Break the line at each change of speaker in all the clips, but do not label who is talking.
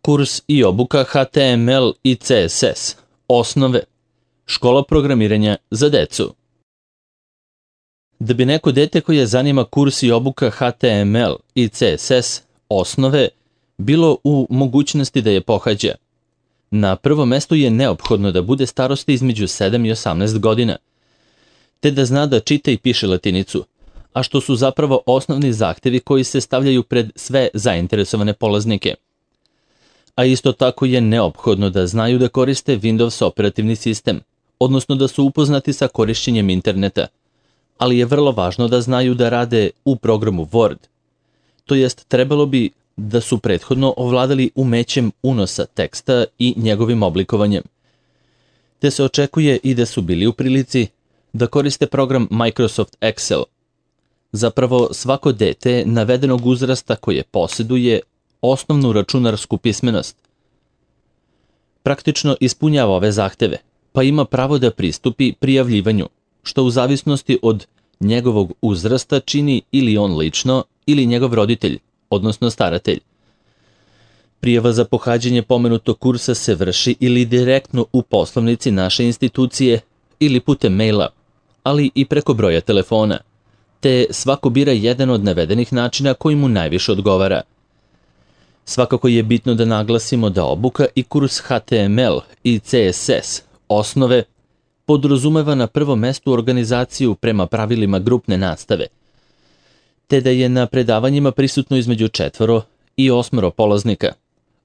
Kurs i obuka HTML i CSS. Osnove. Škola programiranja za decu. Da bi neko dete koje zanima kurs i obuka HTML i CSS, osnove, bilo u mogućnosti da je pohađa. Na prvom mestu je neophodno da bude starosti između 7 i 18 godina, te da zna da čita i piše latinicu, a što su zapravo osnovni zahtevi koji se stavljaju pred sve zainteresovane polaznike. A isto tako je neophodno da znaju da koriste Windows operativni sistem, odnosno da su upoznati sa korišćenjem interneta, ali je vrlo važno da znaju da rade u programu Word. To jest, trebalo bi da su prethodno ovladali umećem unosa teksta i njegovim oblikovanjem. Te se očekuje i da su bili u prilici da koriste program Microsoft Excel. Zapravo, svako dete navedenog uzrasta koje posjeduje osnovnu računarsku pismenost praktično ispunjava ove zahteve, pa ima pravo da pristupi prijavljivanju, što u zavisnosti od njegovog uzrasta čini ili on lično ili njegov roditelj, odnosno staratelj. Prijava za pohađanje pomenutog kursa se vrši ili direktno u poslovnici naše institucije ili putem maila, ali i preko broja telefona, te svako bira jedan od navedenih načina koji mu najviše odgovara. Svakako je bitno da naglasimo da obuka i kurs HTML i CSS, osnove, podrazumeva na prvom mestu organizaciju prema pravilima grupne nastave, te da je na predavanjima prisutno između 4 i 8 polaznika,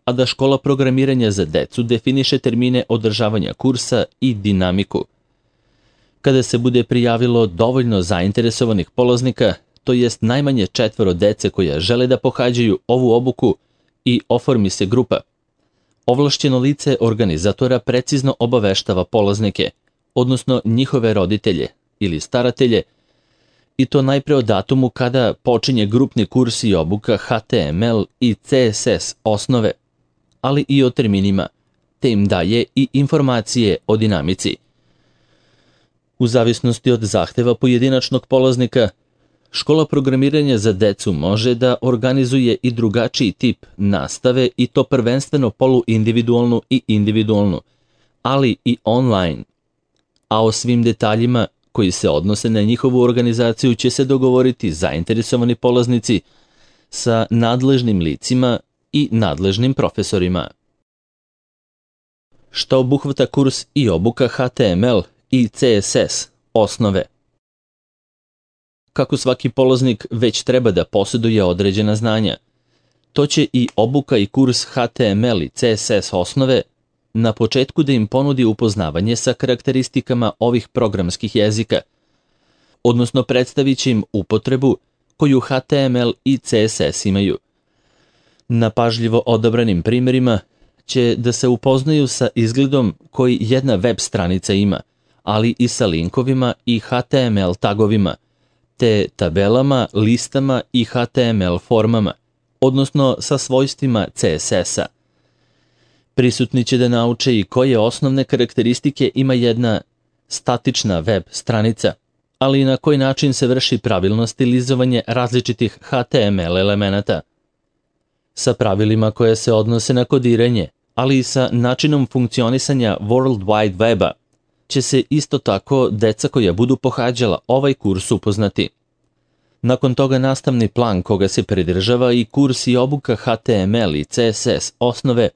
a da škola programiranja za decu definiše termine održavanja kursa i dinamiku. Kada se bude prijavilo dovoljno zainteresovanih polaznika, to jest najmanje 4 dece koja žele da pohađaju ovu obuku i oformi se grupa, ovlašćeno lice organizatora precizno obaveštava polaznike, odnosno njihove roditelje ili staratelje, i to najpre o datumu kada počinje grupni kurs i obuka HTML i CSS osnove, ali i o terminima, te im daje i informacije o dinamici. U zavisnosti od zahteva pojedinačnog polaznika, škola programiranja za decu može da organizuje i drugačiji tip nastave, i to prvenstveno poluindividualnu i individualnu, ali i online. A o svim detaljima koji se odnose na njihovu organizaciju će se dogovoriti zainteresovani polaznici sa nadležnim licima i nadležnim profesorima. Šta obuhvata kurs i obuka HTML i CSS, osnove? Kako svaki polaznik već treba da posjeduje određena znanja, to će i obuka i kurs HTML i CSS osnove na početku da im ponudi upoznavanje sa karakteristikama ovih programskih jezika, odnosno predstavit će im upotrebu koju HTML i CSS imaju. Na pažljivo odabranim primjerima će da se upoznaju sa izgledom koji jedna web stranica ima, ali i sa linkovima i HTML tagovima, te tabelama, listama i HTML formama, odnosno sa svojstvima CSS-a. Prisutni će da nauče i koje osnovne karakteristike ima jedna statična web stranica, ali i na koji način se vrši pravilno stilizovanje različitih HTML elemenata, sa pravilima koje se odnose na kodiranje, ali i sa načinom funkcionisanja World Wide Weba, će se isto tako deca koja budu pohađala ovaj kurs upoznati. Nakon toga nastavni plan koga se pridržava i kurs i obuka HTML i CSS osnove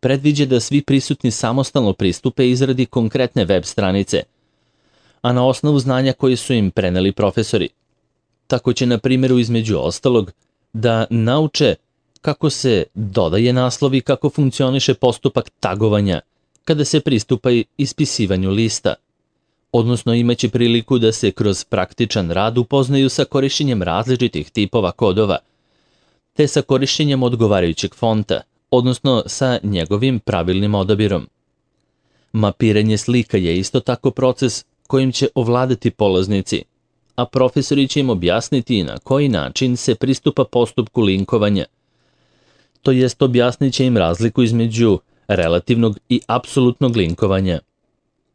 predviđa da svi prisutni samostalno pristupe izradi konkretne web stranice, a na osnovu znanja koje su im preneli profesori. Tako će, na primjeru, između ostalog, da nauče kako se dodaje naslov i kako funkcioniše postupak tagovanja kada se pristupa ispisivanju lista, odnosno imaće priliku da se kroz praktičan rad upoznaju sa korišćenjem različitih tipova kodova, te sa korišćenjem odgovarajućeg fonta, odnosno sa njegovim pravilnim odabirom. Mapiranje slika je isto tako proces kojim će ovladati polaznici, a profesori će im objasniti na koji način se pristupa postupku linkovanja. To jest, objasnit će im razliku između relativnog i apsolutnog linkovanja.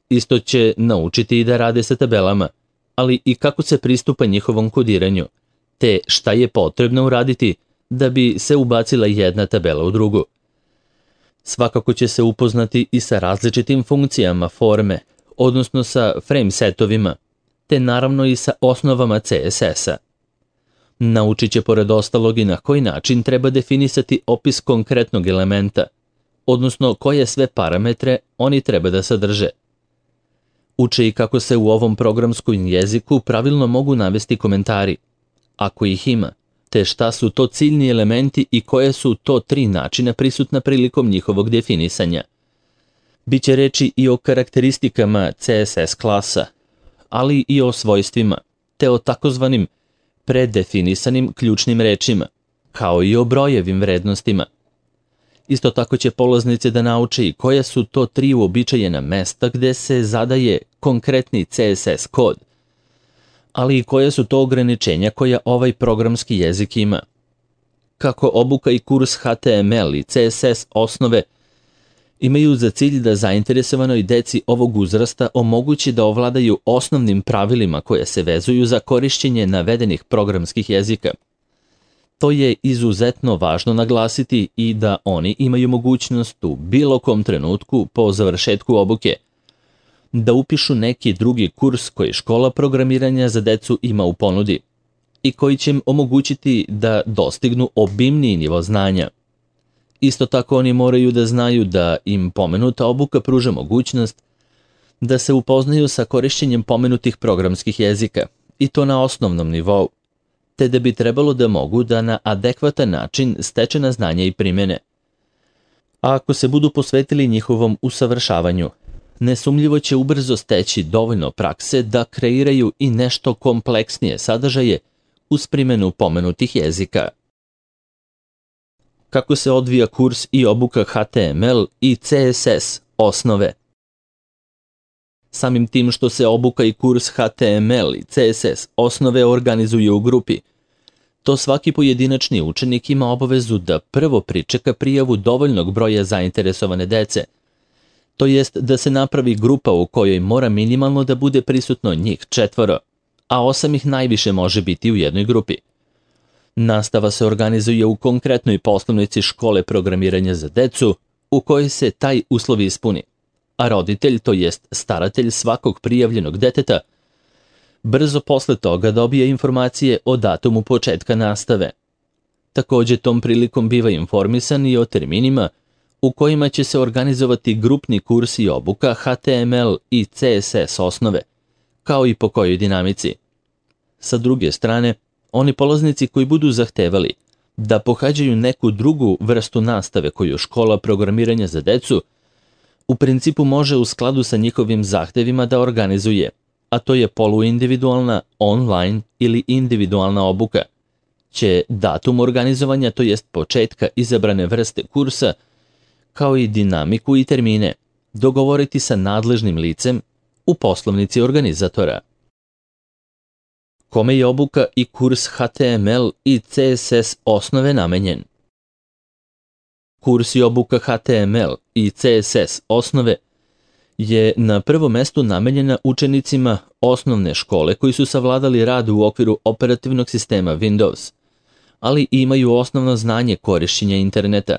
Isto će naučiti i da rade sa tabelama, ali i kako se pristupa njihovom kodiranju, te šta je potrebno uraditi da bi se ubacila jedna tabela u drugu. Svakako će se upoznati i sa različitim funkcijama forme, odnosno sa frame setovima, te naravno i sa osnovama CSS-a. Naučit će pored ostalog i na koji način treba definisati opis konkretnog elementa, odnosno koje sve parametre oni treba da sadrže. Uče i kako se u ovom programskom jeziku pravilno mogu navesti komentari, ako ih ima, te šta su to ciljni elementi i koje su to 3 načina prisutna prilikom njihovog definisanja. Biće reči i o karakteristikama CSS klasa, ali i o svojstvima, te o takozvanim predefinisanim ključnim rečima, kao i o brojevim vrednostima. Isto tako će polaznici da nauče i koja su to 3 uobičajena mesta gde se zadaje konkretni CSS kod, ali i koje su to ograničenja koja ovaj programski jezik ima. Kako obuka i kurs HTML i CSS osnove imaju za cilj da zainteresovanoj deci ovog uzrasta omogući da ovladaju osnovnim pravilima koje se vezuju za korišćenje navedenih programskih jezika. To je izuzetno važno naglasiti i da oni imaju mogućnost u bilo kom trenutku po završetku obuke da upišu neki drugi kurs koji škola programiranja za decu ima u ponudi i koji će im omogućiti da dostignu obimniji nivo znanja. Isto tako oni moraju da znaju da im pomenuta obuka pruža mogućnost da se upoznaju sa korišćenjem pomenutih programskih jezika i to na osnovnom nivou, te da bi trebalo da mogu da na adekvatan način stečena znanja i primene. A ako se budu posvetili njihovom usavršavanju, nesumljivo će ubrzo steći dovoljno prakse da kreiraju i nešto kompleksnije sadržaje uz primjenu pomenutih jezika. Kako se odvija kurs i obuka HTML i CSS osnove? Samim tim što se obuka i kurs HTML i CSS osnove organizuje u grupi, to svaki pojedinačni učenik ima obavezu da prvo pričeka prijavu dovoljnog broja zainteresovane dece, to jest da se napravi grupa u kojoj mora minimalno da bude prisutno njih 4, a 8 ih najviše može biti u jednoj grupi. Nastava se organizuje u konkretnoj poslovnici škole programiranja za decu u kojoj se taj uslov ispuni, a roditelj, to jest staratelj svakog prijavljenog deteta, brzo posle toga dobije informacije o datumu početka nastave. Također tom prilikom biva informisan i o terminima u kojima će se organizovati grupni kurs i obuka HTML i CSS osnove, kao i po kojoj dinamici. Sa druge strane, oni polaznici koji budu zahtevali da pohađaju neku drugu vrstu nastave koju škola programiranja za decu u principu može u skladu sa njihovim zahtevima da organizuje, a to je poluindividualna, online ili individualna obuka, će datum organizovanja, to jest početka izabrane vrste kursa, kao i dinamiku i termine, dogovoriti sa nadležnim licem u poslovnici organizatora. Kome je obuka i kurs HTML i CSS osnove namenjen? Kurs i obuka HTML i CSS osnove je na prvom mestu namenjena učenicima osnovne škole koji su savladali rad u okviru operativnog sistema Windows, ali imaju osnovno znanje korišćenja interneta.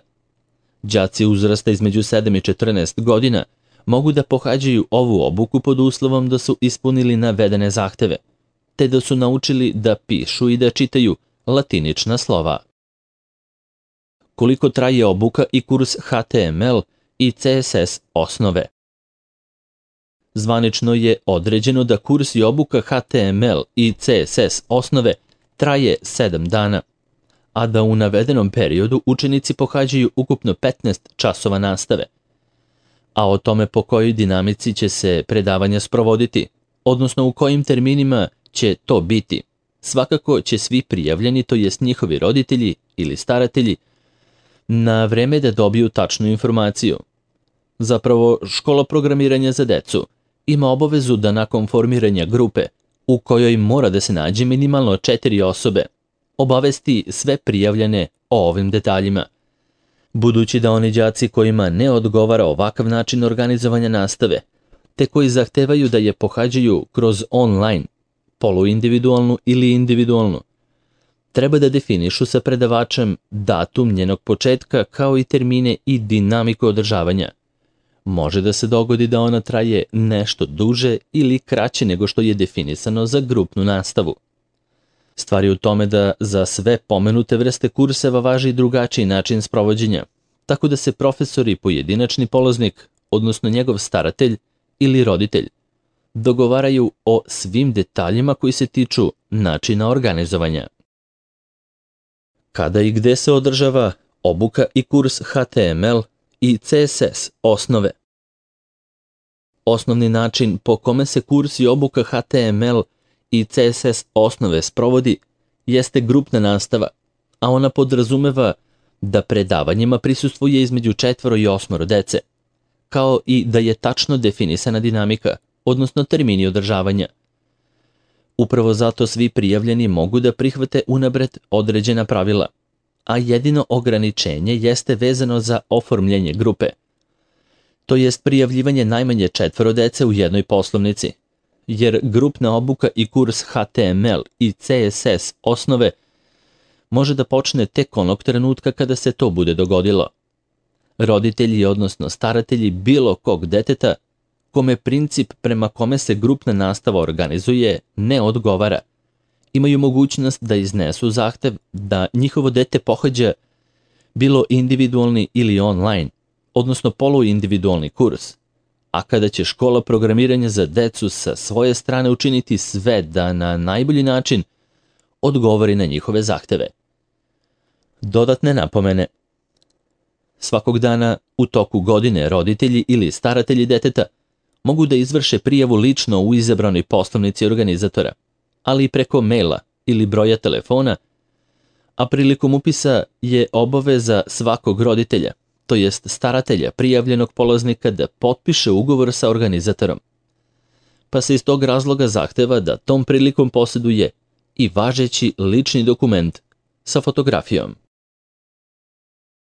Đaci uzrasta između 7 i 14 godina mogu da pohađaju ovu obuku pod uslovom da su ispunili navedene zahteve, te da su naučili da pišu i da čitaju latinična slova. Koliko traje obuka i kurs HTML i CSS osnove? Zvanično je određeno da kurs i obuka HTML i CSS osnove traje 7 dana, a da u navedenom periodu učenici pohađaju ukupno 15 časova nastave. A o tome po kojoj dinamici će se predavanja sprovoditi, odnosno u kojim terminima će to biti, svakako će svi prijavljeni, to jest njihovi roditelji ili staratelji, na vreme da dobiju tačnu informaciju. Zapravo, škola programiranja za decu ima obavezu da nakon formiranja grupe, u kojoj mora da se nađe minimalno 4 osobe, obavesti sve prijavljene o ovim detaljima. Budući da oni đaci kojima ne odgovara ovakav način organizovanja nastave, te koji zahtevaju da je pohađaju kroz online, poluindividualnu ili individualnu, Treba da definišu sa predavačem datum njenog početka kao i termine i dinamiku održavanja. Može da se dogodi da ona traje nešto duže ili kraće nego što je definisano za grupnu nastavu. Stvar je u tome da za sve pomenute vrste kurseva važi drugačiji način sprovođenja, tako da se profesor i pojedinačni polaznik, odnosno njegov staratelj ili roditelj, dogovaraju o svim detaljima koji se tiču načina organizovanja. Kada i gde se održava obuka i kurs HTML i CSS osnove? Osnovni način po kome se kurs i obuka HTML i CSS osnove sprovodi jeste grupna nastava, a ona podrazumeva da predavanjima prisustvuje između 4 i 8 dece, kao i da je tačno definisana dinamika, odnosno termini održavanja. Upravo zato svi prijavljeni mogu da prihvate unapred određena pravila, a jedino ograničenje jeste vezano za oformljenje grupe. To jest prijavljivanje najmanje 4 dece u jednoj poslovnici, jer grupna obuka i kurs HTML i CSS osnove može da počne tek onog trenutka kada se to bude dogodilo. Roditelji, odnosno staratelji bilo kog deteta, kome princip prema kome se grupna nastava organizuje ne odgovara, imaju mogućnost da iznesu zahtev da njihovo dete pohađa bilo individualni ili online, odnosno poluindividualni kurs, a kada će škola programiranja za decu sa svoje strane učiniti sve da na najbolji način odgovori na njihove zahteve. Dodatne napomene. Svakog dana u toku godine roditelji ili staratelji deteta mogu da izvrše prijavu lično u izabranoj poslovnici organizatora, ali i preko maila ili broja telefona, a prilikom upisa je obaveza svakog roditelja, to jest staratelja prijavljenog polaznika da potpiše ugovor sa organizatorom. Pa se iz tog razloga zahteva da tom prilikom posjeduje i važeći lični dokument sa fotografijom.